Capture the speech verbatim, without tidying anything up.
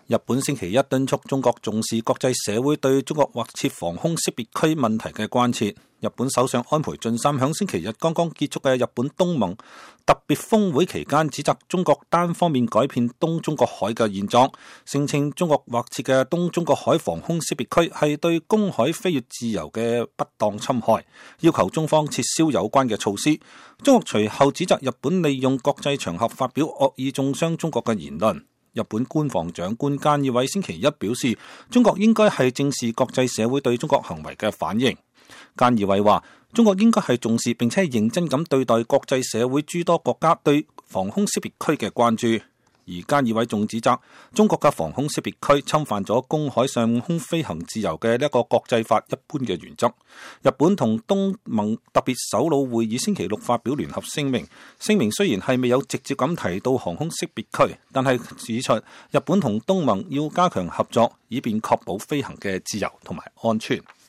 日本星期一敦促中國重視國際社會對中國劃設防空識別區問題嘅關切。日本首相安倍晉三響星期日剛剛結束嘅日本東盟特別峰會期間，指責中國單方面改變東中國海嘅現狀，聲稱中國劃設嘅東中國海防空識別區係對公海飛越自由嘅不當侵害，要求中方撤銷有關嘅措施。中國隨後指責日本利用國際場合發表惡意中傷中國嘅言論。日本官房長官菅義偉星期一表示，中國應該係正視國際社會對中國行為嘅反應。菅義偉話，中國應該係重視並且係認真咁對待國際社會諸多國家對防空識別區嘅關注。而菅義偉仲指責中國嘅防空識別區侵犯咗公海上空飛行自由嘅一個國際法一般嘅原則。日本同東盟特別首腦會議星期六發表聯合聲明，聲明雖然係未有直接咁提到航空識別區，但係指出日本同東盟要加強合作，以便確保飛行嘅自由同埋安全。